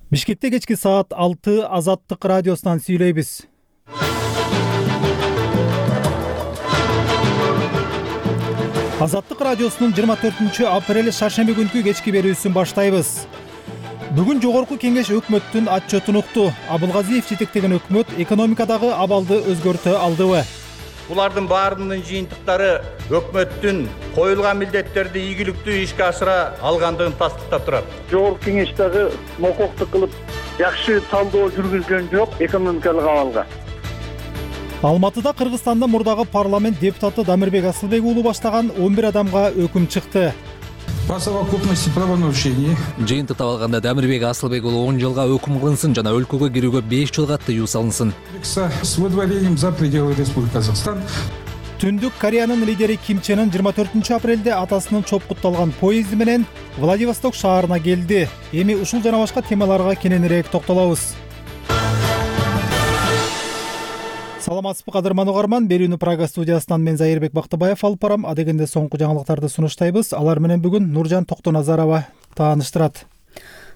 Бишкекте кечки саат 6 Азаттык радиосунан сүйлөйбүз. Азаттык радиосунун 24-апрель шаршемби күнкү кечки берүүсүн баштайбыз. Бүгүн жогорку кеңеш өкмөттүн отчетун укту. Абылгазиев жетектеген өкмөт экономикадагы абалды өзгөртө алдыбы? Булардын баарынын жыйынтыктары өкмөттүн коюлган милдеттерди ийгиликтүү ишке ашыра алгандыгын тастыктап турат. Жогорку кеңеш дагы мококтук кылып жакшы талдоо жүргүзгөн жок экономикалык абалга. Алматыда Кыргызстандын мурдагы парламент депутаты Дамирбек Асылбек уулу баштаган 11 адамга өкүм чыкты. По совокупности правонарушений. Жыйынтыктап алганда Дамирбек Асылбек уулу 10 жылга өкүм кылынсын жана өлкөгө кирүүгө 5 жылга тыюу салынсын. С выдворением за пределы Республики Казахстан. Түндүк Кореянын лидери Ким Чен Ын 24-апрелде атасынын чопкутталган поезди менен Владивосток шаарына келди. Эми ушул жана башка темаларга кененирээк токтолобуз. Саламатсызбы кадырман угарман, берүүнү Прага студиясынан мен Зайырбек Бактыбаев алып барам. Адегенде соңку жаңылыктарды сунуштайбыз. Алар менен бүгүн Нуржан Токтоназарова тааныштырат.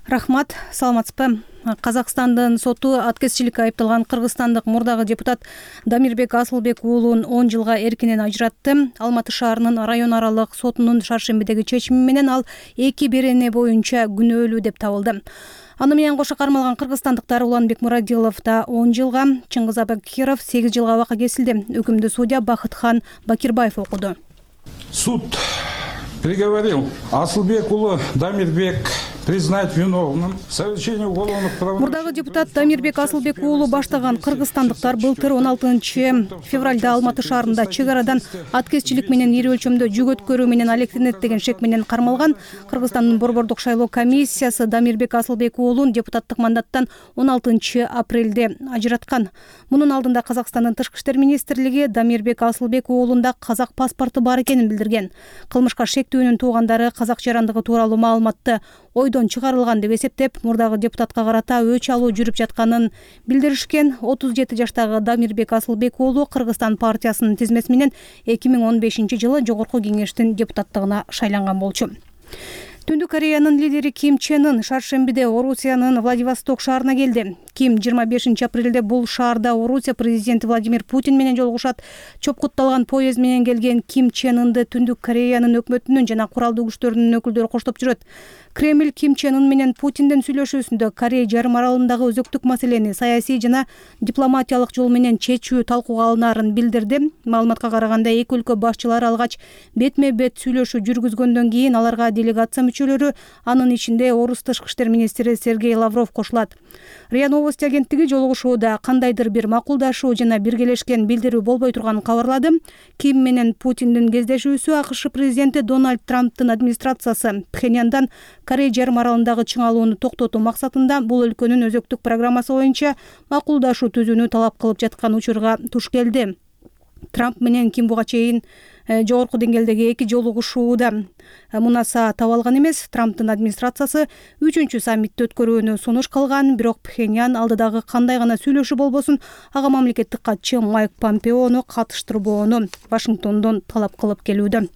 Рахмат, саламатсызбы. Казакстандын соту аткезчиликке айыпталган кыргызстандык мурдагы депутат Дамирбек Асылбек уулун 10 жылга эркинен ажыратты. Алматы шаарынын район аралык сотунун шаршембидеги чечими менен ал 2 берене боюнча күнөөлүү деп табылды. Аны менен кошо кармалган кыргызстандыктар Уланбек Мурадилов да 10 жылга, Чыңгыз Абакиров 8 жылга абакка кесилди. Өкүмдү судья Бакытхан Бакирбаев окуду. Суд приговорил Асылбек уулу Дамирбек признать виновным в совершении уголовных правонарушений. Мурдагы депутат Дамирбек Асылбек уулу баштаган кыргызстандыктар былтыр 16-февралда Алматы шаарында чек арадан аткезчилик менен ири өлчөмдө жүк өткөрүү менен алектенет деген шек менен кармалган. Кыргызстандын борбордук шайлоо комиссиясы Дамирбек Асылбек уулун депутаттык мандаттан 16-апрелде ажыраткан. Мунун алдында Казакстандын тышкы иштер министрлиги Дамирбек Асылбек уулунда казак паспорту бар экенин билдирген. Кылмышка шектүүнүн туугандары казак жарандыгы тууралуу маалыматты ойдон чыгарылган деп эсептеп, мурдагы депутатка карата өч алуу жүрүп жатканын билдиришкен. 37 жаштагы Дамирбек Асылбек уулу Кыргызстан партиясынын тизмеси менен 2015-жылы жогорку кеңештин депутаттыгына шайланган болчу. Түндүк Кореянын лидери Ким Чен Ын шаршембиде Орусиянын Владивосток шаарына келди. Ким 25-апрелде бул шаарда Орусия президенти Владимир Путин менен жолугушат. Чопкутталган поезд менен келген Ким Чен Ынды Түндүк Кореянын өкмөтүнүн жана куралдуу күчтөрүнүн өкүлдөрү коштоп жүрөт. Кремль Ким Чен Ын менен Путиндин сүйлөшүүсүндө Корея жарым аралындагы өзөктүк маселени саясий жана дипломатиялык жол менен чечүү талкууга алынаарын билдирди. Маалыматка караганда эки өлкө башчылары алгач бетме-бет сүйлөшүү жүргүзгөндөн кийин аларга делегация мүчөлөрү, анын ичинде орус тышкы иштер министри Сергей Лавров кошулат. РИА Новости агенттиги жолугушууда кандайдыр бир макулдашуу жана биргелешкен билдирүү болбой турганын кабарлады. Ким менен Путиндин кездешүүсү АКШ президенти Дональд Трамптын администрациясы Пхеньяндан Корея жарым аралындагы чыңалууну токтотуу максатында бул өлкөнүн өзөктүк программасы боюнча макулдашуу түзүүнү талап кылып жаткан учурга туш келди. Трамп менен Ким буга чейин жогорку деңгээлдеги эки жолугушууда мунаса таба алган эмес. Трамптын администрациясы 3-чү саммитти өткөрүүнү сунуш кылган, бирок Пхеньян алдыдагы кандай гана сүйлөшүү болбосун ага мамлекеттик катчы Майк Помпеону катыштырбоону Вашингтондон талап кылып келүүдө.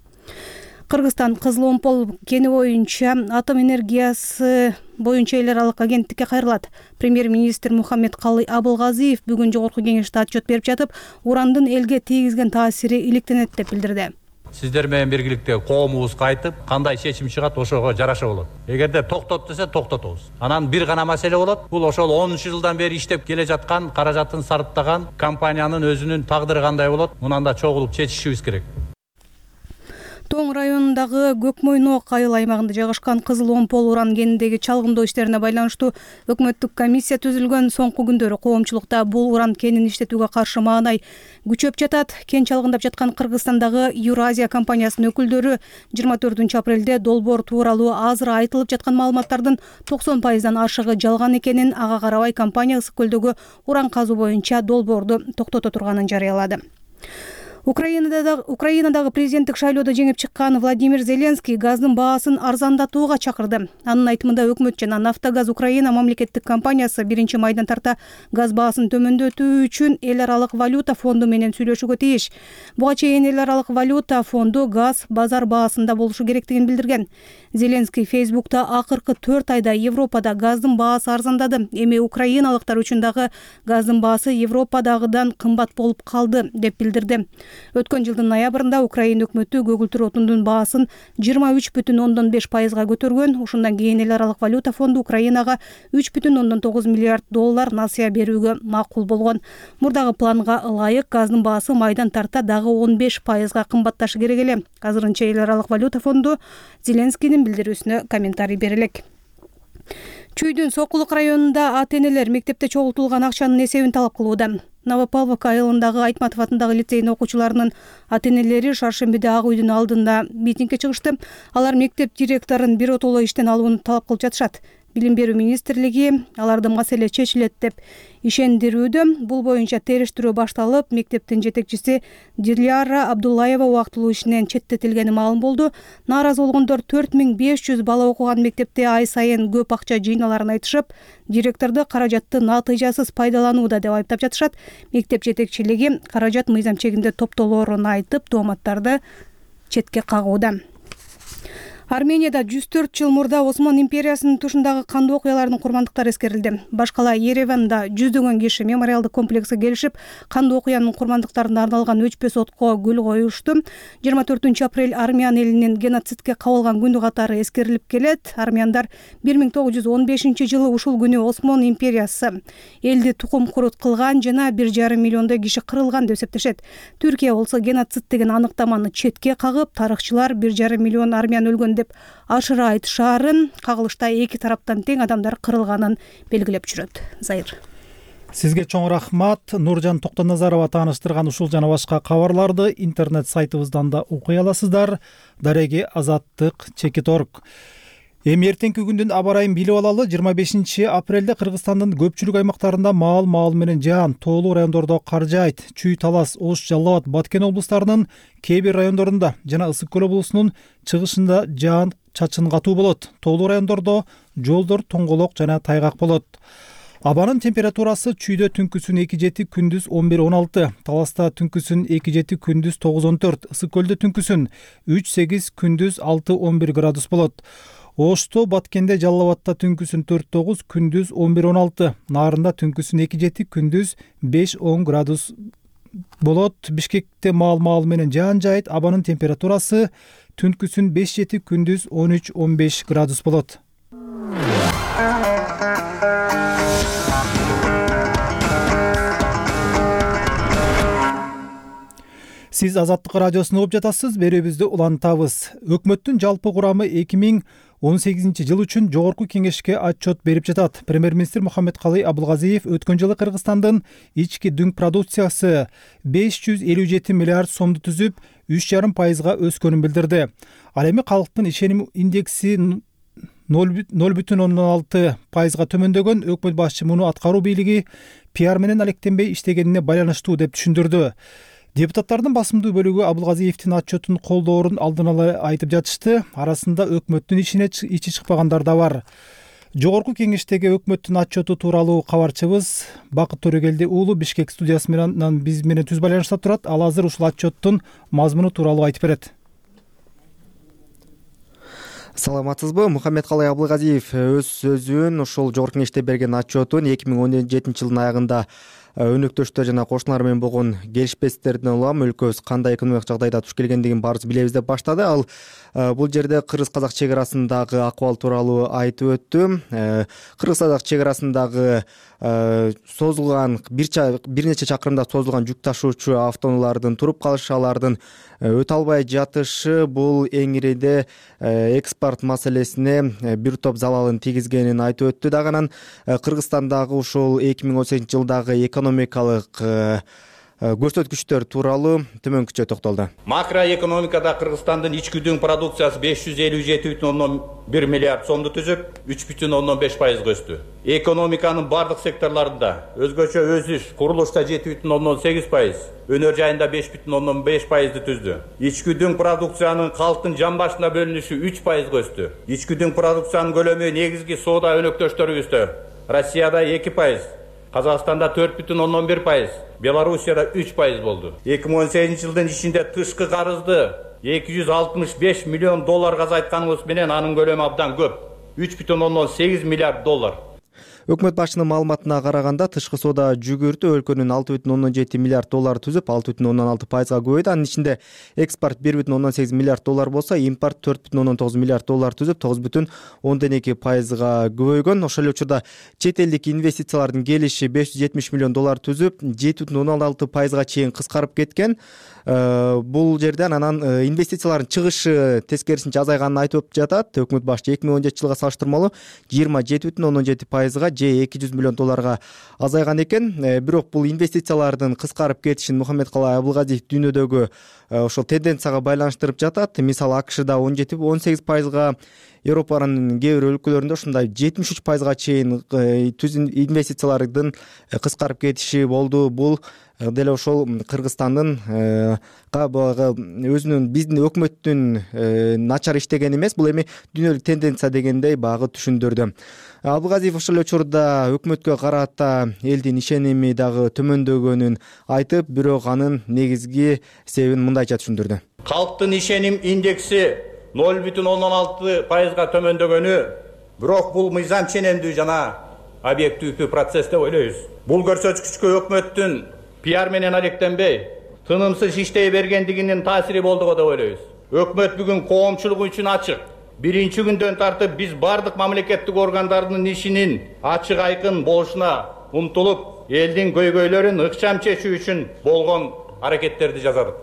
Кыргызстан Кызыл Омпол кени боюнча атом энергиясы боюнча эл аралык агенттикке кайрылат. Премьер-министр Мухаммедкалый Абылгазиев бүгүн жогорку кеңеште отчет берип жатып, урандын элге тийгизген таасири иликтенет деп билдирди. Сиздер менен биргеликте коомубузга айтып, кандай чечим чыгат ошого жараша болот. Эгерде токтот десе токтотобуз. Анан бир гана маселе болот. Бул ошол 10 жылдан бери иштеп келе жаткан, каражатын сарптаган компаниянын өзүнүн тагдыры кандай болот? Мунанда чогулуп чечишибиз керек. Тоң районундагы Көкмойнок айыл аймагында жайгашкан Кызыл Омпол уран кенидеги чалгындоо иштерине байланыштуу өкмөттүк комиссия түзүлгөн. Соңку күндөрү коомчулукта бул уран кенин иштетүүгө каршы маанай күчөп жатат. Кен чалгындап жаткан Кыргызстандагы Юразия компаниясынын өкүлдөрү 24-апрелде долбоор тууралуу азыр айтылып жаткан маалыматтардын 90%дан ашыгы жалган экенин, ага карабай компания ысык көлдөгү уран казуу боюнча долбоорду токтото турганын жарыялады. Украинадагы президенттик шайлоодо жеңип чыккан Владимир Зеленский газдын баасын арзандатууга чакырды. Анын айтымында өкмөт жана Нафтогаз Украина мамлекеттик компаниясы 1 майдан тарта газ баасын төмөндөтүү үчүн эл аралык валюта фонду менен сүйлөшүүгө тийиш. Буга чейин эл аралык валюта фонду газ базар баасында болушу керектигин билдирген. Зеленский Фейсбукта акыркы 4 айда Европада газдын баасы арзандады. Эми украиналыктар үчүн дагы газдын баасы Европадагыдан кымбат болуп калды деп билдирди. Өткөн жылдын ноябрында Украина өкмөтү көгүлтүр отундун баасын 23,5%га көтөргөн. Ушундан кийин эл аралык валюта фонду Украинага 3,9 миллиард доллар насыя берүүгө макул болгон. Мурдагы планга ылайык газдын баасы майдан тарта дагы 15%га кымбатташы керек эле. Азырынча эл аралык валюта фонду Зеленскийдин билдирүүсүнө комментарий бере элек. Чүйдүн Сокулук районунда ата-энелер мектепте чогултулган акчанын эсебин талап кылууда. Новопавловка айылындагы Айтматов атындагы лицейдин окуучуларынын ата-энелери шаршембиде Ак үйдүн алдында митингге чыгышты. Алар мектеп директорун биротоло иштен алууну талап кылып жатышат. Билим берүү министрлиги алардын маселе чечилет деп ишендирүүдө. Бул боюнча териштирүү башталып, мектептин жетекчиси Диляра Абдуллаева убактылуу ишинен четтетилгени маалым болду. Нааразы болгондор 4500 бала окуган мектепте ай сайын көп акча жыйналарын айтышып, директорду каражатты натыйжасыз пайдаланууда деп айыптап жатышат. Мектеп жетекчилиги каражат мыйзам чегинде топтолоорун айтып, тооматтарды четке кагууда. Арменияда 104 жыл мурда Осман империясынын тушундагы кандуу окуялардын курмандыктары эскерилди. Башкала Ереванда жүздөгөн киши мемориалдык комплекске келишип, кандуу окуянын курмандыктарына арналган өчпөс отко гүл коюшту. 24 апрель армян элинин геноцидке кабылган күнү катары эскерилип келет. Армяндар 1915 жылы ушул күнү Осман империясы элди тукум курут кылган жана 1,5 миллиондой киши кырылган деп эсептешет. Түркия болсо геноцид деген аныктаманы четке кагып, тарыхчылар 1,5 миллион армян өлгөн деп ашыра айтышаарын, кагылышта эки тараптан тең адамдар кырылганын белгилеп жүрөт. Зайыр. Сизге чоң рахмат. Нуржан Токтоназарова тааныштырган ушул жана башка кабарларды интернет сайтыбыздан да окуй аласыздар. Дареги Азаттык _org. Эми эртеңки күндүн аба ырайын билип алалы. 25 апрелде Кыргызстандын көпчүлүк аймактарында маал менен жаан, тоолуу райондордо кар жаайт. Чүй, Талас, Ош, Жалал абад, Баткен облустарынын кээ бир райондорунда жана Ысык көл облусунун чыгышында жаан чачын катуу болот. Тоолуу райондордо жолдор тоңголок жана тайгак болот. Абанын температурасы чүйдө түнкүсүн 2-7, күндүз 11-16, Таласта түнкүсүн 2-7, күндүз 9-14, Ысык көлдө түнкүсүн 3-8, күндүз 6-11 градус болот. Ошто, Баткенде, Жалал абадта түнкүсүн 4-9, күндүз 11-16, Нарында түнкүсүн 2-7, күндүз 5-10 градус болот. Бишкекте маал менен жаан жаайт. Абанын температурасы түнкүсүн 5-7, күндүз 13-15 градус болот. Сиз Азаттык радиосун угуп жатасыз. Берүүбүздү улантабыз. Өкмөттүн жалпы курамы 2018 жыл үчүн жогорку кеңешке отчет берип жатат. Премьер-министр Мухаммедкалый Абылгазиев өткөн жылы Кыргызстандын ички дүң продукциясы 557 миллиард сомду түзүп, 3,5% өскөнүн билдирди. Ал эми калктын ишеним индекси 0,6%га төмөндөгөн. Өкмөт башчы муну аткаруу бийлиги пиар менен алектенбей иштегенине байланыштуу деп түшүндүрдү. Депутаттардын басымдуу бөлүгү Абылгазиевдин отчетун колдоорун алдын ала айтып жатышты. Арасында өкмөттүн ичи чыкпагандар да бар. Жогорку кеңештеги өкмөттүн отчету тууралуу кабарчыбыз Бакыт Төрөгелди уулу Бишкек студиясы менен биз менен түз байланышта турат. Ал азыр ушул отчеттун мазмуну тууралуу айтып берет. Саламатсызбы? Мухаммедкалый Абылгазиев өз сөзүн ушул жогорку кеңеште берген отчетун 2017 жылдын аягында өнөктөштөр жана кошуналар менен болгон келишпестиктерден улам өлкөбүз кандай экономикалык жагдайда туш келгендигин баарыбыз билебиз деп баштады. Ал бул жерде кыргыз-казак чек арасындагы акыбал тууралуу айтып өттү. Кыргыз-казак чек арасындагы созулган бир нече чакырымда созулган жүк ташуучу автоунаалардын туруп калышы, алардын өтө албай жатышы бул эң ириде экспорт маселесине бир топ залалын тийгизгенин айтып өттү. Дагы анан Кыргызстандагы ушул 2018 жылдагы экономикалык көрсөткүчтөр тууралуу төмөнкүчө токтолду. Макроэкономикада Кыргызстандын ички дүң продукциясы 557,1 миллиард сомду түзүп, 3,5% өстү. Экономиканын бардык секторларында өзгөчө өсүш, курулушта 7,8%, өнөр жайында 5,5% түздү. Ички дүң продукциянын калктын жан башына бөлүнүшү 3% өстү. Ички дүң продукциянын көлөмү негизги соода өнөктөштөрүбүздө Россияда 2%, Казакстанда 4,1%, Белоруссияда 3% болду. 2018 жылдын ичинде тышкы карызды 265 миллион долларга азайтканыбыз менен анын көлөмү абдан көп. 3,8 миллиард доллар. Өкмөт башчынын маалыматына караганда тышкы соода жүгүртү өлкөнүн 6,7 миллиард доллар түзүп, 6,6%га көбөйдү. Анын ичинде экспорт 1,8 миллиард доллар болсо, импорт 4,9 миллиард доллар түзүп, 9,2%га көбөйгөн. Ошол эле учурда чет элдик инвестициялардын келиши 570 миллион доллар түзүп, 7,6%га чейин кыскарып кеткен. Бул жерден анан инвестициялардын чыгышы тескерисинче азайганын айтып жатат. Өкмөт башчы 2017 жылга салыштырмалуу 27,7%га же 200 миллион долларга азайган экен. Бирок бул инвестициялардын кыскарып кетишин Мухаммедкалай Абылгазиев дүйнөдөгү ошол тенденцияга байланыштырып жатат. Мисалы АКШда 17,18%га, Европанын кээ бир өлкөлөрүндө ошондой 73%га чейин инвестициялардын кыскарып кетиши болду. Бул деле ошол Кыргызстандын өзүнүн биздин өкмөттүн начар иштегени эмес, бул эми дүйнөлүк тенденция дегендей багы түшүндүрдү. Абылгазиев ошол эле учурда өкмөткө карата элдин ишеними дагы төмөндөгөнүн айтып, бирок анын негизги себебин мындайча түшүндүрдү. Калктын ишеним индекси 0,16%га төмөндөгөнү, бирок бул мыйзам ченемдүү жана объективдүү процесс деп ойлойбуз. Бул көрсөткүчкө өкмөттүн пиар менен алектенбей, тынымсыз иштей бергендигинин таасири болду деп ойлойбуз. Өкмөт бүгүн коомчулук үчүн ачык. Биринчи күндөн тартып биз бардык мамлекеттик органдардын ишинин ачык айкын болушуна умтулуп, элдин көйгөйлөрүн ыкчам чечүү үчүн болгон аракеттерди жасадык.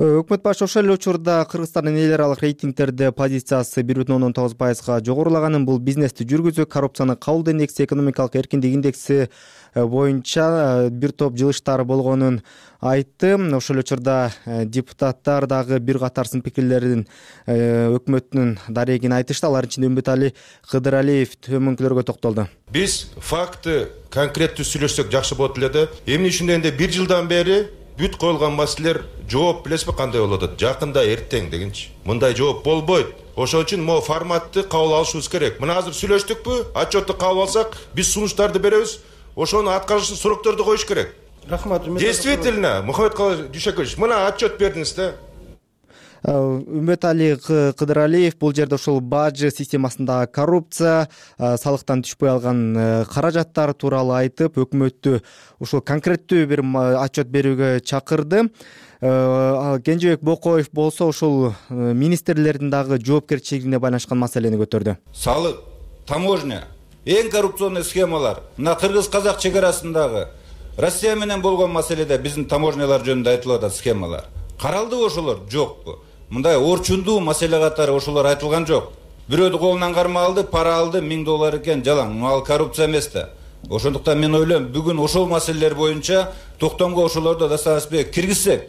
Өкмөт башы ошол эле учурда Кыргызстандын эл аралык рейтингтерде позициясы 1,19%га жогорулаганын, бул бизнести жүргүзүү, коррупцияны кабылдоо индекси, экономикалык эркиндик индекси боюнча бир топ жылыштар болгонун айтты. Ошол эле учурда депутаттар дагы бир катар сын пикирлерин өкмөттүн дарегин айтышты. Алардын ичинде Үмбетали Кыдыралиев төмөнкүлөргө токтолду. Биз факты конкреттүү сүйлөшсөк жакшы болот эле. Эмне үчүн дегенде бир жылдан бери бүт коюлган маселелер жооп билесизби кандай болуп атат? Жакында, эртең дегенчи. Мындай жооп болбойт. Ошон үчүн могу форматты кабыл алышыбыз керек. Мына азыр сүйлөштүкпү? Отчетту кабыл алсак, биз сунуштарды беребиз. Ошону аткарышын срокторду коюш керек. Рахмат. Действительно, Мухаммедкалай Дүйшөкөевич, мына отчет бердиңиз да. Үмбетали Кыдыралиев бул жерде ошол бажы системасындагы коррупция, салыктан түшпөй алган каражаттар тууралуу айтып, өкмөттү ошол конкреттүү бир отчет берүүгө чакырды. Кенжебек Бокоев болсо ошол министрлердин дагы жоопкерчилигине байланышкан маселени көтөрдү. Салык, таможня, эң коррупционный схемалар мына кыргыз-казак чек арасындагы Россия менен болгон маселеде биздин таможнялар жөнүндө айтылып атат схемалар. Каралдыбы ошолор? Жокпу? Мындай орчундуу маселе катары ошолор айтылган жок. Бирөөдү колунан карма алды, пара алды, $1000 экен, жалаң. Ал коррупция эмес да. Ошондуктан мен ойлойм, бүгүн ошол маселелер боюнча токтомго ошолорду достаточно киргизсек.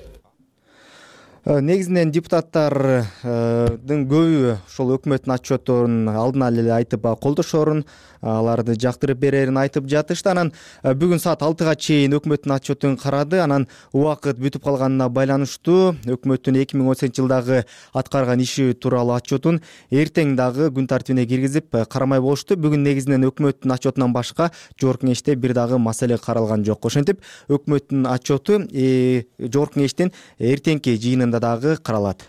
Негизинен депутаттардын көбү ошол өкмөттүн отчетторун алдына эле айтып колдошорун, аларды жактырып берерин айтып жатышты. Анан бүгүн саат 6га чейин өкмөттүн отчетун карады. Анан убакыт бүтүп калганына байланыштуу өкмөттүн 2018 жылдагы аткарган иши тууралуу отчетун эртең дагы күн тартибине киргизип карамай болушту. Бүгүн негизинен өкмөттүн отчетунан башка жогорку кеңеште бир дагы маселе каралган жок. Ошентип өкмөттүн отчету жогорку кеңештин эртеңки жыйынында дагы каралат.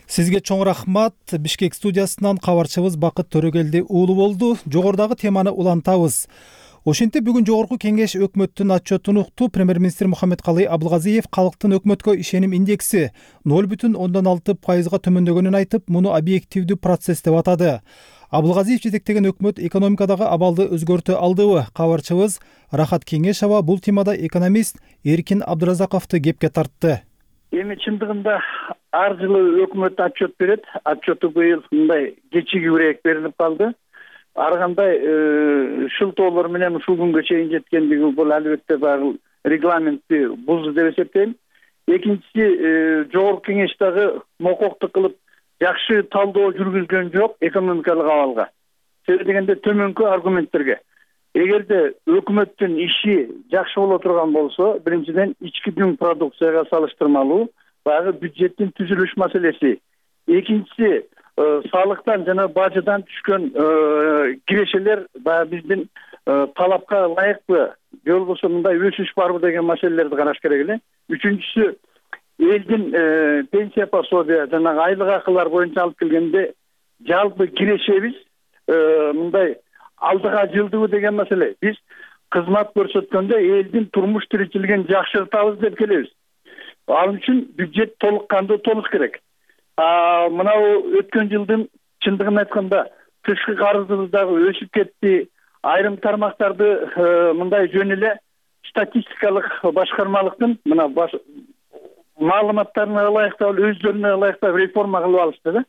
Сизге чоң рахмат. Бишкек студиясынан кабарчыбыз Бакыт Төрөгелди уулу болду. Жогорудагы теманы улантабыз. Ошентип бүгүн жогорку кеңеш өкмөттүн отчетун укту. Премьер-министр Мухаммедкалай Абылгазиев калктын өкмөткө ишеним индекси 0,6%га төмөндөгөнүн айтып, муну объективдүү процесс деп атады. Абылгазиев жетектеген өкмөт экономикадагы абалды өзгөртө алдыбы? Кабарчыбыз Рахат Кеңешова бул темада экономист Эркин Абдыразаковду кепке тартты. Эми чындыгында ар жылы өкмөт отчет берет. Отчету быйыл мындай кечигибирээк берилип калды. Ар кандай шылтоолор менен ушул күнгө чейин жеткендиги бул албетте баягы регламентти бузду деп эсептейм. Экинчиси, жогорку кеңеш дагы мококтук кылып жакшы талдоо жүргүзгөн жок экономикалык абалга. Себеби дегенде төмөнкү аргументтерге. Эгерде өкмөттүн иши жакшы боло турган болсо, биринчиден ички дүң продукцияга салыштырмалуу баягы бюджеттин түзүлүш маселеси. Экинчиси, салыктан жана бажыдан түшкөн кирешелер баягы биздин талапка ылайыкпы, же болбосо мындай өсүш барбы деген маселелерди караш керек эле. Үчүнчүсү, элдин пенсия пособия жана айлык акылар боюнча алып келгенде жалпы кирешебиз мындай алдыга жылдыбы деген маселе. Биз кызмат көрсөткөндө элдин турмуш тиричилигин жакшыртабыз деп келебиз. Ал үчүн бюджет толук кандуу толуш керек. Мынау өткөн жылдын чындыгын айтканда тышкы карызыбыз дагы өсүп кетти. Айрым тармактарды мындай жөн эле статистикалык башкармалыктын мына маалыматтарына ылайыктап, өздөрүнө ылайыктап реформа кылып алышты да.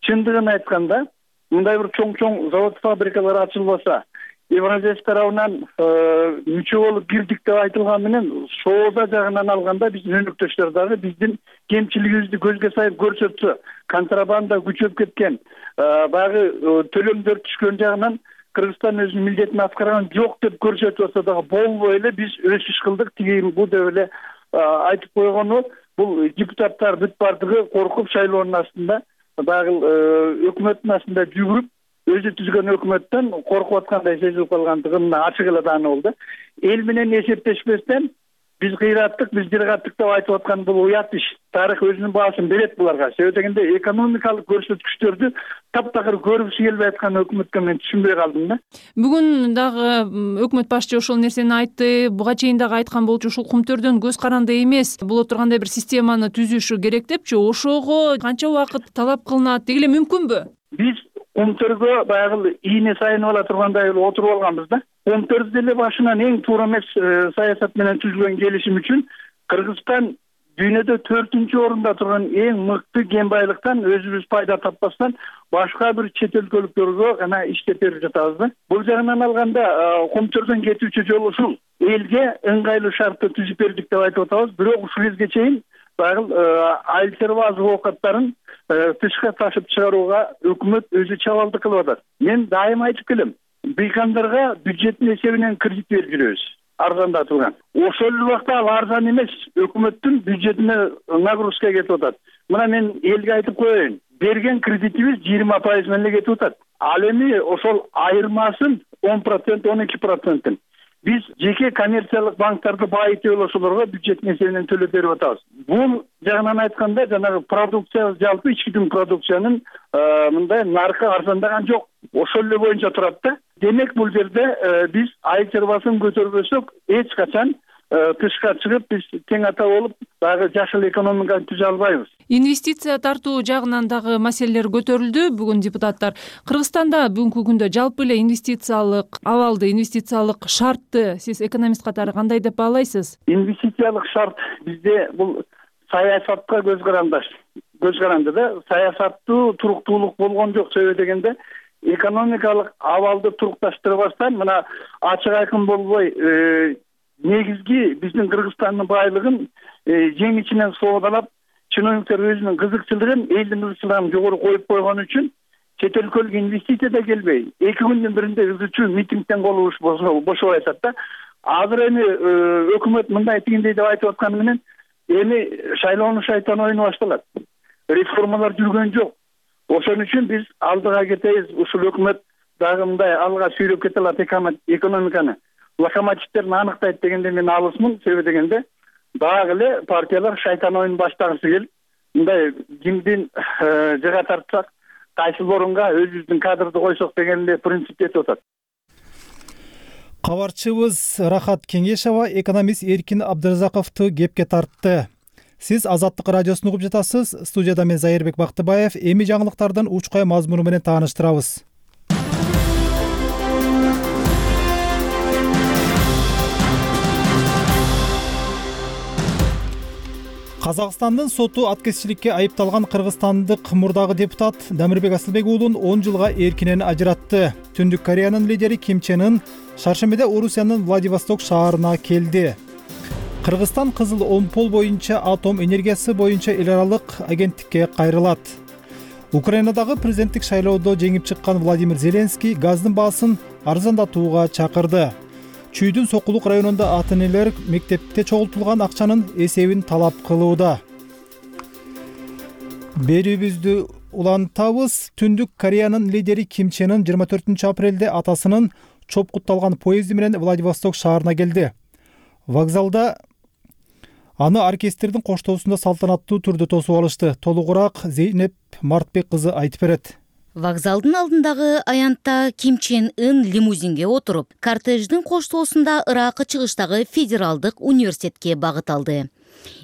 Чындыгын айтканда, мындай бир чоң завод фабрикалар ачылбаса, Евразия тарабынан мүчө болуп кирдик деп айтылган менен, соода жагынан алганда биздин өнөктөштөр дагы биздин кемчилигибизди көзгө сайып көрсөтсө, контрабанда күчөп кеткен, баягы төлөмдөр түшкөн жагынан Кыргызстан өзүнүн милдетин аткарган жок деп көрсөтүп атса дагы болбой эле биз өсүш кылдык, тиги бу деп эле айтып койгону, бул депутаттар бүт бардыгы коркуп шайлоонун астында баягы өкмөттүн астында жүгүрүп, өзү түзгөн өкмөттөн коркуп аткандай сезилип калгандыгы мына ачык эле даана болду. Эл менен эсептешпестен биз кыйраттык, биз жыргаттык деп айтып аткан бул уят иш. Тарых өзүнүн баасын берет буларга. Себеби дегенде экономикалык көрсөткүчтөрдү таптакыр көргүсү келбей аткан өкмөткө мен түшүнбөй калдым да. Бүгүн дагы өкмөт башчы ошол нерсени айтты. Буга чейин дагы айткан болчу, ушул кумтөрдөн көз каранды эмес боло тургандай бир системаны түзүшү керек депчи. Ошого канча убакыт талап кылынат? Деги эле мүмкүнбү? Биз кумтөргө баягы ийне сайынып ала тургандай отуруп алганбыз да. Кумтөр деле башынан эң туура эмес саясат менен түзүлгөн келишим үчүн Кыргызстан дүйнөдө 4-чү орунда турган эң мыкты кен байлыктан өзүбүз пайда таппастан башка бир чет өлкөлүктөргө гана иштеп берип жатабыз да. Бул жагынан алганда кумтөрдөн кетүүчү жол ушул. Элге ыңгайлуу шартты түзүп бердик деп айтып атабыз, бирок ушул кезге чейин баягы айыл чарба азык оокаттарын тышка ташып чыгарууга өкмөт өзү чабалдык кылып атат. Мен дайыма айтып келем, быйкандарга бюджеттин эсебинен кредит берип жүрөбүз, арзандатылган. Ошол эле убакта ал арзан эмес, өкмөттүн бюджетине нагрузка кетип атат. Мына мен элге айтып коеюн, берген кредитибиз 20% менен эле кетип атат. Ал эми ошол айырмасын 10%, 12%. Биз жеке коммерциялык банктарды баайыта ошолорго бюджеттин эсебинен төлөп берип атабыз. Бул жагынан айтканда жанагы продукция, жалпы ички дүң продукциянын мындай наркы арзандаган жок. Ошол эле боюнча турат да. Демек бул жерде биз айыл чарбасын көтөрбөсөк, эч качан тышка чыгып биз тең ата болуп, дагы жашыл экономиканы түзө албайбыз. Инвестиция тартуу жагынан дагы маселелер көтөрүлдү. Бүгүн депутаттар Кыргызстанда бүгүнкү күндө жалпы эле инвестициялык абалды, инвестициялык шартты сиз экономист катары кандай деп баалайсыз? Инвестициялык шарт бизде бул саясатка көз каранды да. Саясаттуу туруктуулук болгон жок. Себеби дегенде экономикалык абалды турукташтырбастан мына ачык айкын болбой негизги биздин Кыргызстандын байлыгын жең ичинен соодалап, чиновниктер өзүнүн кызыкчылыгын, элдин кызыкчылыгын жогору коюп койгон үчүн чет өлкөлүк инвестиция да келбей, 2 күндүн биринде үзүчү митингден колубуш бошобой атат да. Азыр эми өкмөт мындай тигиндей деп айтып атканы менен эми шайлоону шайтан оюну башталат. Реформалар жүргөн жок. Ошон үчүн биз алдыга кетебиз. Ушул өкмөт дагы мындай алга сүйрөп кете алат экономиканы. Локомотивтерин аныктайт дегенде мен алысмын. Себеби дегенде дагы эле партиялар шайтан оюн баштагысы келип, мындай кимдин жыга тартсак, кайсыл орунга өзүбүздүн кадрды койсок деген эле принцип кетип атат. Кабарчыбыз Рахат Кеңешова экономист Эркин Абдыразаковду кепке тартты. Сиз Азаттык радиосун угуп жатасыз. Студияда мен Зайырбек Бактыбаев. Эми жаңылыктардын учкай мазмуну менен тааныштырабыз. Казакстандын соту аткезчиликке айыпталган кыргызстандык мурдагы депутат Дамирбек Асылбек уулун 10 жылга эркинен ажыратты. Түндүк Кореянын лидери Ким Чен Ын шаршембиде Орусиянын Владивосток шаарына келди. Кыргызстан Кызыл Омпол боюнча атом энергиясы боюнча эл аралык агенттикке кайрылат. Украинадагы президенттик шайлоодо жеңип чыккан Владимир Зеленский газдын баасын арзандатууга чакырды. Чүйдүн Сокулук районунда ата-энелер мектепте чогултулган акчанын эсебин талап кылууда. Берүүбүздү улантабыз. Түндүк Кореянын лидери Ким Чен Ын 24 апрелде атасынын чопкутталган поезди менен Владивосток шаарына келди. Вокзалда аны оркестрдин коштоосунда салтанаттуу түрдө тосуп алышты. Толугураак Зейнеп Мартбек кызы айтып берет. Вокзалдын алдындагы аянтта Ким Чен Ын лимузинге отуруп, кортеждин коштоосунда ыракы чыгыштагы федералдык университетке багыт алды.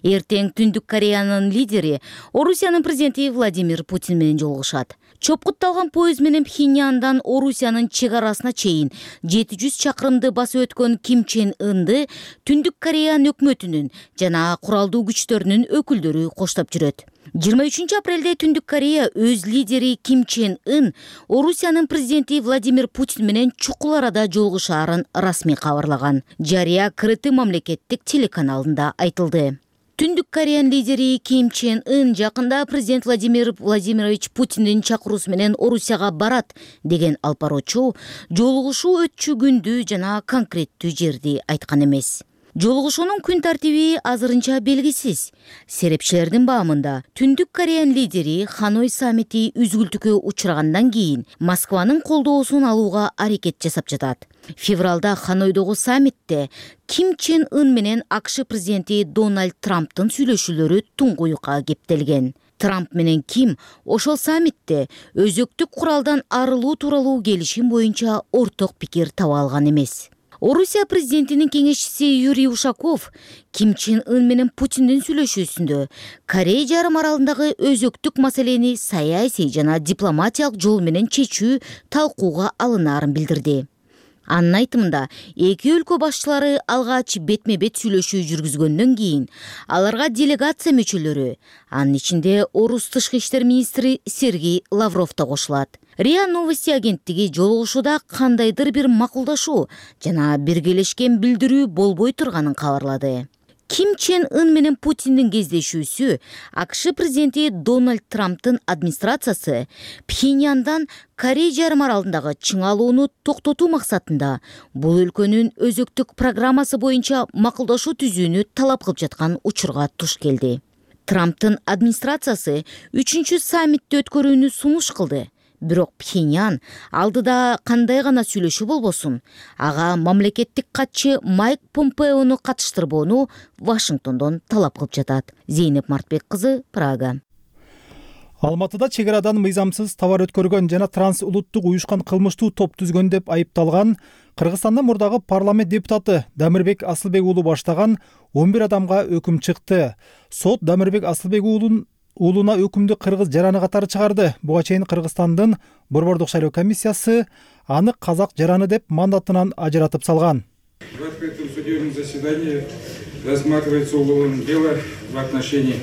Эртең Түндүк Кореянын лидери Орусиянын президенти Владимир Путин менен жолугушат. Чопкутталган поезд менен Пхеньяндан Орусиянын чек арасына чейин 700 чакырымды басып өткөн Ким Чен Ынды Түндүк Кореян өкмөтүнүн жана куралдуу күчтөрүнүн өкүлдөрү коштоп жүрөт. 23 апрелде Түндүк Корея өз лидери Ким Чен Ын Орусиянын президенти Владимир Путин менен чукул арада жолугушаарын расмий кабарлаган. Жарыя КРТ мамлекеттик телеканалында айтылды. Түндүк Кореян лидери Ким Чен Ын жакында президент Владимир Владимирович Путиндин чакыруусу менен Орусияга барат деген алып баруучу жолугушуу өтчү күндү жана конкреттүү жерди айткан эмес. Жолугушуунун күн тартиби азырынча белгисиз. Серепчилердин баамында Түндүк Кореян лидери Ханой саммити үзгүлтүккө учрагандан кийин Москванын колдоосун алууга аракет жасап жатат. Февралда Ханойдогу саммитте Ким Чен Ын менен АКШ президенти Дональд Трамптын сүйлөшүүлөрү туңгуюкка кептелген. Трамп менен Ким ошол саммитте өзөктүк куралдан арылуу тууралуу келишим боюнча орток пикир таба алган эмес. Орусия президентинин кеңешчиси Юрий Ушаков Ким Чен Ын менен Путиндин сүйлөшүүсүндө Корея жарым аралындагы өзөктүк маселени саясий жана дипломатиялык жол менен чечүү талкууга алынаарын билдирди. Анын айтымында, эки өлкө башчылары алгач бетме-бет сүйлөшүү жүргүзгөндөн кийин аларга делегация мүчөлөрү, анын ичинде Орус тышкы иштер министри Сергей Лавров да кошулат. РИА Новости агенттиги жолугушууда кандайдыр бир макулдашуу жана биргелешкен билдирүү болбой турганын кабарлады. Ким Чен Ын менен Путиндин кездешүүсү АКШ президенти Дональд Трамптын администрациясы Пхеньяндан Корея жарым аралындагы чыңалууну токтотуу максатында бул өлкөнүн өзөктүк программасы боюнча макулдашуу түзүүнү талап кылып жаткан учурга туш келди. Трамптын администрациясы 3-чү саммитти өткөрүүнү сунуш кылды. Бирок Пхеньян алдыда кандай гана сүйлөшүү болбосун, ага мамлекеттик катчы Майк Помпеону катыштырбоону Вашингтондон талап кылып жатат. Зейнеп Мартбек кызы, Прага. Алматыда чек арадан мыйзамсыз товар өткөргөн жана трансулуттук уюшкан кылмыштуу топ түзгөн деп айыпталган Кыргызстандын мурдагы парламент депутаты Дамирбек Асылбек уулу баштаган 11 адамга өкүм чыкты. Сот Дамирбек Асылбек уулуна өкүмдү кыргыз жараны катары чыгарды. Буга чейин Кыргызстандын борбордук шайлоо комиссиясы аны казак жараны деп мандатынан ажыратып салган. В открытом судебном заседании рассматривается уголовное дело в отношении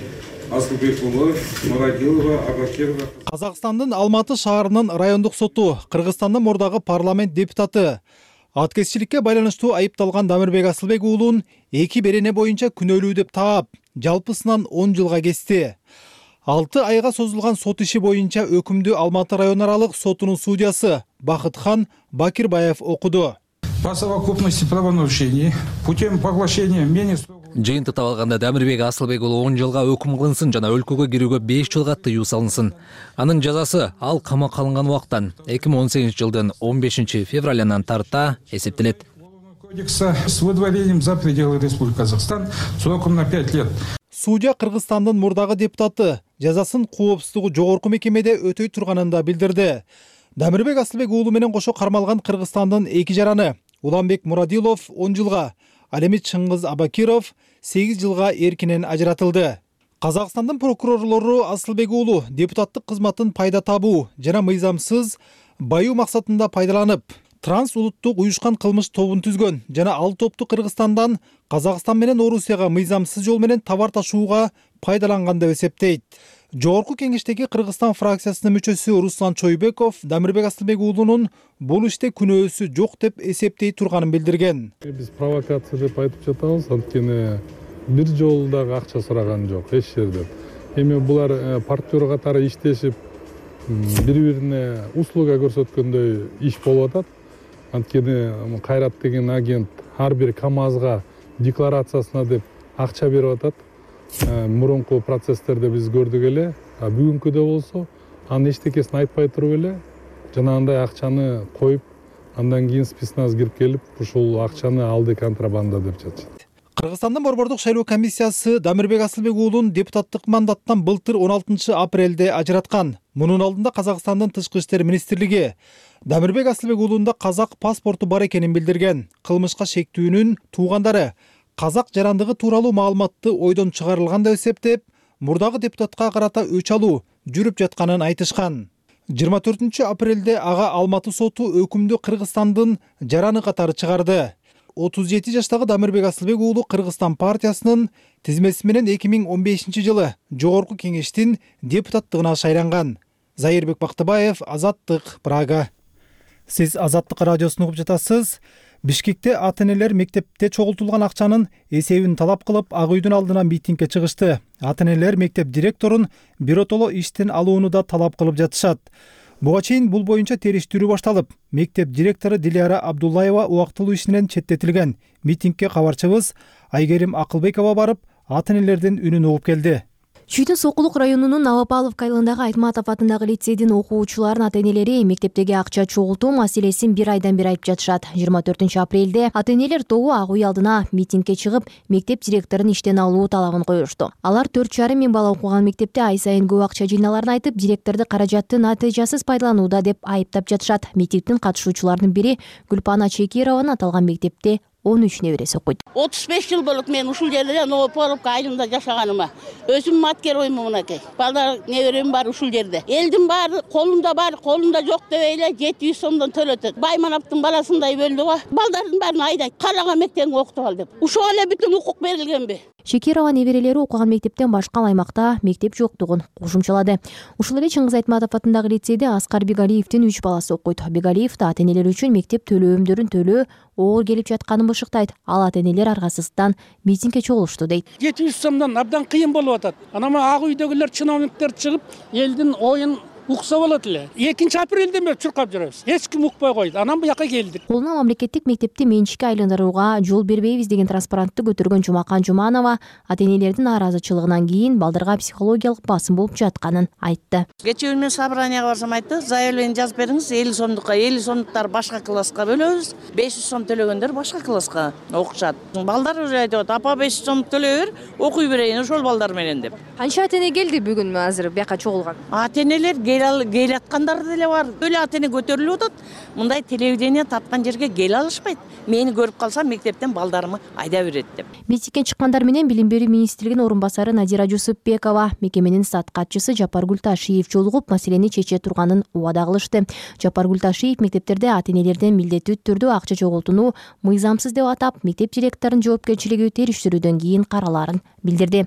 Асылбек уулу, Мурадилова, Абакирова. Казакстандын Алматы шаарынын райондук соту Кыргызстандын мурдагы парламент депутаты аткезчиликке байланыштуу айыпталган Дамирбек Асылбек уулун 2 берене боюнча күнөөлүү деп таап, жалпысынан 10 жылга кести. 6 айга созулган сот иши боюнча өкүмдү Алматы район аралык сотунун судьясы Бакытхан Бакирбаев окуду. По совокупности правонарушений путем поглощения менее Жыйынтыктап алганда Дамирбек Асылбек уулу 10 жылга өкүм кылынсын жана өлкөгө кирүүгө 5 жылга тыюу салынсын. Анын жазасы ал камакка алынган убактан 2018 жылдын 15 февралынан тарта эсептелет. Кодекса с выдворением за пределы Республики Казахстан сроком на 5 лет. Судья Кыргызстандын мурдагы депутаты жазасын коопсуздугу жогорку мекемеде өтөй турганын да билдирди. Дамирбек Асылбек уулу менен кошо кармалган Кыргызстандын 2 жараны Уланбек Мурадилов 10 жылга, ал эми Чыңгыз Абакиров 8 жылга эркинен ажыратылды. Казакстандын прокурорлору Асылбек уулу депутаттык кызматын пайда табуу жана мыйзамсыз баюу максатында пайдаланып, трансулуттук уюшкан кылмыш тобун түзгөн жана ал топту Кыргызстандан Казакстан менен Орусияга мыйзамсыз жол менен товар ташууга пайдаланган деп эсептейт. Жогорку кеңештеги Кыргызстан фракциясынын мүчөсү Руслан Чойбеков Дамирбек Асылбек уулунун бул иште күнөөсү жок деп эсептей турганын билдирген. Биз провокация деп айтып жатабыз, анткени бир жолу дагы акча сураган жок эч жерден. Эми булар партнер катары иштешип бири бирине услуга көрсөткөндөй иш болуп атат. Анткени Кайрат деген агент ар бир КАМАЗга декларациясына деп акча берип атат. Мурунку процесстерде биз көрдүк эле, бүгүнкүдө болсо анын эчтекесин айтпай туруп эле жанагындай акчаны коюп, андан кийин спецназ кирип келип, ушул акчаны алды контрабанда деп жатышат. Кыргызстандын борбордук шайлоо комиссиясы Дамирбек Асылбек уулун депутаттык мандаттан былтыр 16 апрелде ажыраткан. Мунун алдында Казакстандын тышкы иштер министрлиги Дамирбек Асылбек уулунда казак паспорту бар экенин билдирген. Кылмышка шектүүнүн туугандары казак жарандыгы тууралуу маалыматты ойдон чыгарылган деп эсептеп, мурдагы депутатка карата өч алуу жүрүп жатканын айтышкан. 24 апрелде ага Алматы соту өкүмдү Кыргызстандын жараны катары чыгарды. 37 жаштагы Дамирбек Асылбек уулу Кыргызстан партиясынын тизмеси менен 2015 жылы Жогорку кеңештин депутаттыгына шайланган. Зайырбек Бактыбаев, Азаттык, Прага. Сиз Азаттык радиосун угуп жатасыз. Бишкекте ата-энелер мектепте чогултулган акчанын эсебин талап кылып, Ак үйдүн алдына митингге чыгышты. Ата-энелер мектеп директорун биротоло иштен алууну да талап кылып жатышат. Буга чейин бул боюнча териштирүү башталып, мектеп директору Дилиара Абдуллаева убактылуу ишинен четтетилген. Митингге кабарчыбыз Айгерим Акылбекова барып, ата-энелердин үнүн угуп келди. Чүйдүн Сокулук районунун Новопавловка айылындагы Айтматов атындагы лицейдин окуучуларынын ата-энелери мектептеги акча чогултуу маселесин бир айдан бери айтып жатышат. 24 апрелде ата-энелер тобу Ак үй алдына митингге чыгып, мектеп директорун иштен алуу талабын коюшту. Алар 4,5 миң бала окуган мектепте ай сайын көп акча жыйналарын айтып, директорду каражатты натыйжасыз пайдаланууда деп айыптап жатышат. Митингдин катышуучуларынын бири Гүлпана Чекированын аталган мектепте 13 небереси окуйт. 35 жыл болуп мен ушул жерде Новопавловка айылында жашаганыма. Өзүм маткероймун мынакей. Балдар неберем бар ушул жерде. Элдин баары колунда жок дебейле 700 сомдон төлөтөт. Баймановдун баласындай бөлдү го. Балдардын баарын айдайт. Каалага мектепте окутуп ал деп. Ушуга эле бүтүн укук берилгенби? Шекирова неберелери окуган мектептен башка аймакта мектеп жоктугун кошумчалады. Ушул эле Чыңгыз Айтматов атындагы лицейде Аскар Бегалиевдин 3 баласы окуйт. Бегалиев да ата-энелер үчүн мектеп төлөөмдөрүн төлөө оор келип жатканын бышыктайт. Ал ата-энелер аргасыздан митингге чогулушту дейт. 700 сомдон абдан кыйын болуп атат. Анама Ак үйдөгүлөр чиновниктер чыгып, элдин оюн укса болот эле. 2 апрелден бери чуркап жүрөбүз. Эч ким укпай койду. Анан буяка келдик. Колуна мамлекеттик мектепти менчикке айландырууга жол бербейбиз деген транспарантты көтөргөн Жумакан Жуманова ата-энелердин нааразычылыгынан кийин балдарга психологиялык басым болуп жатканын айтты. Кечээ мен собранияга барсам айтты, заявление жазып бериңиз, 50 сомдукка, 50 сомдуктар башка класска бөлөбүз, 500 сом төлөгөндөр башка класска окушат. Балдар айтып атат, апа 500 сом төлөбөр, окуй берейин ошол балдар менен деп. Канча ата-эне келди бүгүн азыр бияка чогулган? Ата-энелер келаткандар деле бар. Өлө ата-эне көтөрүлүп атат. Мындай телевидение таткан жерге келе алышпайт. Мени көрүп калса мектептен балдарымы айда берет деп. Митингге чыккандар менен Билим берүү министрлигинин орун басары Надира Жусупбекова, мекеменин стат катчысы Жапаргүл Ташиев жолугуп, маселени чече турганын убада кылышты. Жапаргүл Ташиев мектептерде ата-энелерден милдеттүү түрдө акча чогултууну мыйзамсыз деп атап, мектеп директорунун жоопкерчилиги териштирүүдөн кийин караларын билдирди.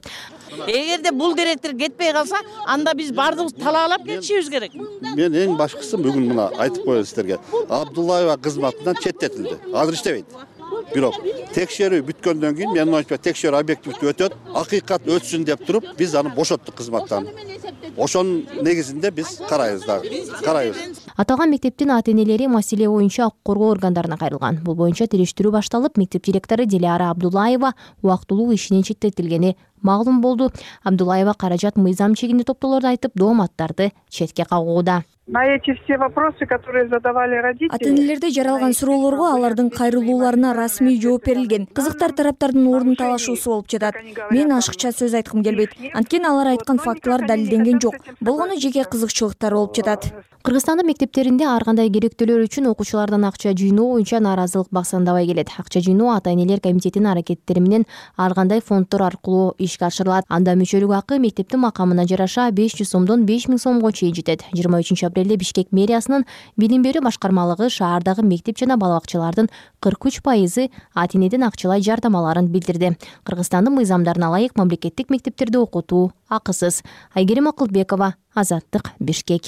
Эгерде бул директор кетпей калса, анда биз бардыгыбыз талаалап кетишибиз керек. Мен эң башкысы бүгүн мына айтып коеюн сиздерге. Абдуллаева кызматынан четтетилди. Азыр иштебейт. Бирок текшерүү бүткөндөн кийин мен ойчу текшерүү объективдүү өтөт, акыйкат өтсүн деп туруп, биз аны бошоттук кызматтан. Ошонун негизинде биз карайбыз дагы. Аталган мектептин ата-энелери маселе боюнча укук коргоо органдарына кайрылган. Бул боюнча териштирүү башталып, мектеп директору Дилиара Абдуллаева убактылуу ишинен четтетилгени маалым болду. Абдуллаева каражат мыйзам чегинде топтоолорду айтып, дооматтарды четке кагууда. На эти все вопросы, которые задавали родители, ата-энелерде жаралган суроолорго алардын кайрылууларына расмий жооп берилген. Кызыктар тараптардын ордун талашуусу болуп жатат. Мен ашыкча сөз айткым келбейт. Анткени алар айткан фактылар далилденген жок. Болгону жеке кызыкчылыктар болуп жатат. Кыргызстандын мектептеринде ар кандай керектөөлөр үчүн окуучулардан акча жыйноо боюнча нааразылык бассандабай келет. Акча жыйноо ата-энелер комитетинин аракеттери менен ар кандай фонддор аркылуу ишке ашырылат. Анда мүчөлүк акы мектептин макамына жараша 500 сомдон 5000 сомго чейин жетет. 23 апрелде Бишкек мэриясынын билим берүү башкармалыгы шаардагы мектеп жана бала бакчалардын 43% ата-энеден акчалай жардамаларын билдирди. Кыргызстандын мыйзамдарына ылайык мамлекеттик мектептерде окутуу акысыз. Айгерим Акылбекова, Азаттык, Бишкек.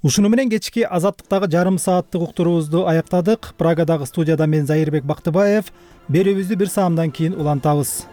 Ушуну менен кечки Азаттыктагы жарым сааттык уктуруубузду аяктадык. Прагадагы студияда мен Зайырбек Бактыбаев. Берүүбүздү бир саамдан кийин улантабыз.